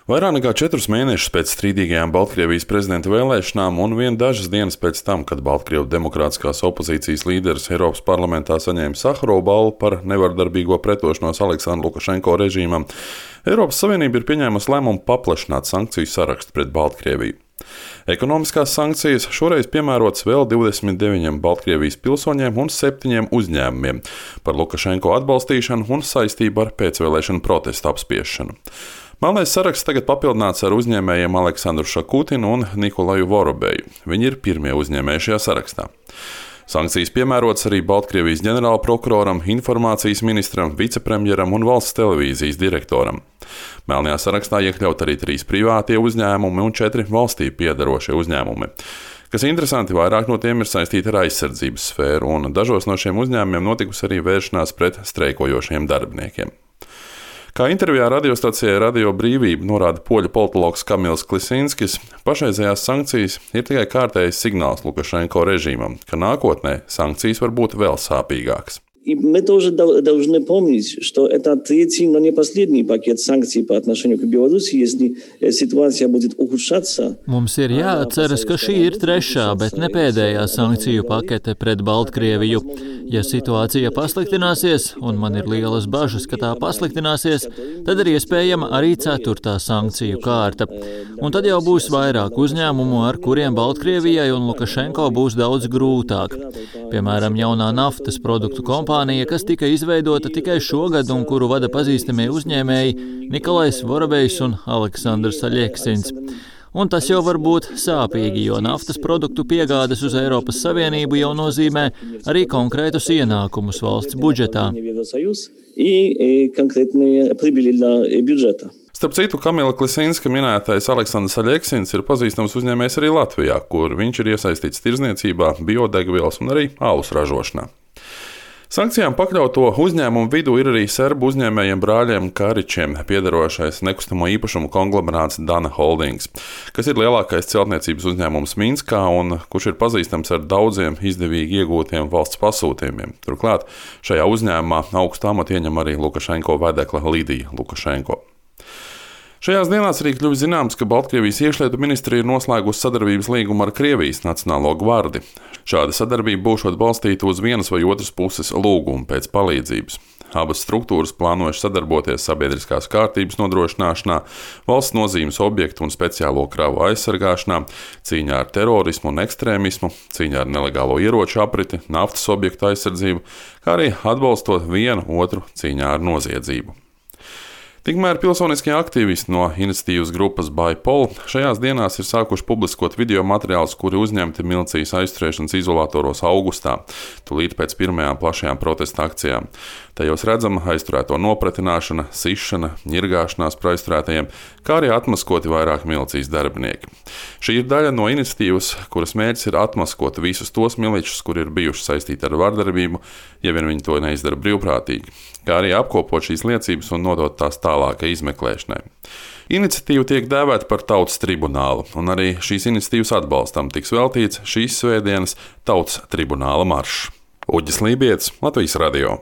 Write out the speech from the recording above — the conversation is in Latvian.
Vairāk nekā 4 mēnešus pēc strīdīgajām Baltkrievijas prezidenta vēlēšanām un dažas dienas pēc tam, kad Baltkrievu demokrātiskās opozīcijas līderis Eiropas parlamentā saņēma Saharova balvu par nevardarbīgo pretošanos Aleksandra Lukašenko režīmam, Eiropas Savienība ir pieņēmusi lēmumu paplašināt sankciju sarakstu pret Baltkrieviju. Ekonomiskās sankcijas šoreiz piemērotas vēl 29 Baltkrievijas pilsoņiem un 7 uzņēmumiem par Lukašenko atbalstīšanu un saistību ar pēcvēlēšanu protestu apspiešanu. Melnais saraksts tagad papildināts ar uzņēmējiem Aleksandru Šakutinu un Nikolaju Vorobeju. Viņi ir pirmie uzņēmēji šajā sarakstā. Sankcijas piemērotas arī Baltkrievijas ģenerālprokuroram, informācijas ministram, vicepremjeram un valsts televīzijas direktoram. Melnajā sarakstā iekļaut arī 3 privātie uzņēmumi un 4 valstī piederošie uzņēmumi. Kas interesanti, vairāk no tiem ir saistīti ar aizsardzības sfēru, un dažos no šiem uzņēmumiem notikusi arī vēršanās pret streikojošiem darbiniekiem. Kā intervijā radiostacijai Radio Brīvība norāda poļu politologs Kamils Klisinskis, pašreizējās sankcijas ir tikai kārtējs signāls Lukašenko režīmam, ka nākotnē sankcijas var būt vēl sāpīgākas. И мы тоже должны помнить, что это третий, но не последний пакет санкций по отношению к Беларуси, если ситуация будет ухудшаться. Mums ir jāatceras, ka šī ir trešā, bet ne pēdējā sankciju pakete pret Baltkrieviju. Ja situācija pasliktināsies, un man ir lielas bažas, ka tā pasliktināsies, tad ir iespējama arī 4. sankciju kārta. Un tad jau būs vairāk uzņēmumu, ar kuriem Baltkrievijai un Lukašenko būs daudz grūtāk. Piemēram, jaunā naftas produktu kompānija, kas tika izveidota tikai šogad un kuru vada pazīstamie uzņēmēji Nikolais Vorobejs un Aleksandrs Aļeksins. Un tas jau var būt sāpīgi, jo naftas produktu piegādes uz Eiropas Savienību jau nozīmē arī konkrētus ienākumus valsts budžetā. Starp citu, Kamila Klisinska minētais Aleksandrs Aļeksins ir pazīstams uzņēmējs arī Latvijā, kur viņš ir iesaistīts tirdzniecībā, biodegvielas un arī alus ražošanā. Sankcijām pakļauto uzņēmumu vidū ir arī serbu uzņēmējiem brāļiem Karičiem piederošais nekustamo īpašumu konglomerāts Dana Holdings, kas ir lielākais celtniecības uzņēmums Minskā un kurš ir pazīstams ar daudziem izdevīgi iegūtiem valsts pasūtījumiem. Turklāt šajā uzņēmumā augstu amatu ieņem arī Lukašenko vedekla Lidija Lukašenko. Šajās dienās arī kļuvis zināms, ka Baltkrievijas iekšlietu ministrija ir noslēgusi sadarbības līgumu ar Krievijas Nacionālo gvardi. Šāda sadarbība būšot balstīta uz vienas vai otras puses lūgumu pēc palīdzības. Abas struktūras plānojuši sadarboties sabiedriskās kārtības nodrošināšanā, valsts nozīmes objektu un speciālo kravu aizsargāšanā, cīņā ar terorismu un ekstrēmismu, cīņā ar nelegālo ieroču apriti, naftas objektu aizsardzību, kā arī atbalstot vienu otru cīņā ar noziedzību. Tikmēr pilsoniskie aktīvisti no iniciatīvas grupas ByPol šajās dienās ir sākuši publiskot video materiālus, kuri uzņemti milicijas aizturēšanas izolatoros augustā, tūlīt pēc pirmajām plašajām protesta akcijām. Tajos redzama aizturēto nopratināšana, sišana, ņirgāšanās par aizturētajiem, kā arī atmaskoti vairāk milicijas darbinieki. Šī ir daļa no iniciatīvas, kuras mērķis ir atmaskot visus tos miličus, kuri ir bijuši saistīti ar vardarbību, ja vien viņi to neizdara brīvprātīgi, kā arī apkopot šīs liecības un nodot tās tālākai izmeklēšanai. Iniciatīva tiek dēvēta par Tautas tribunālu, un arī šīs iniciatīvas atbalstam tiks veltīts šīs svētdienas Tautas tribunāla maršs. Uģis Lībietis, Latvijas radio.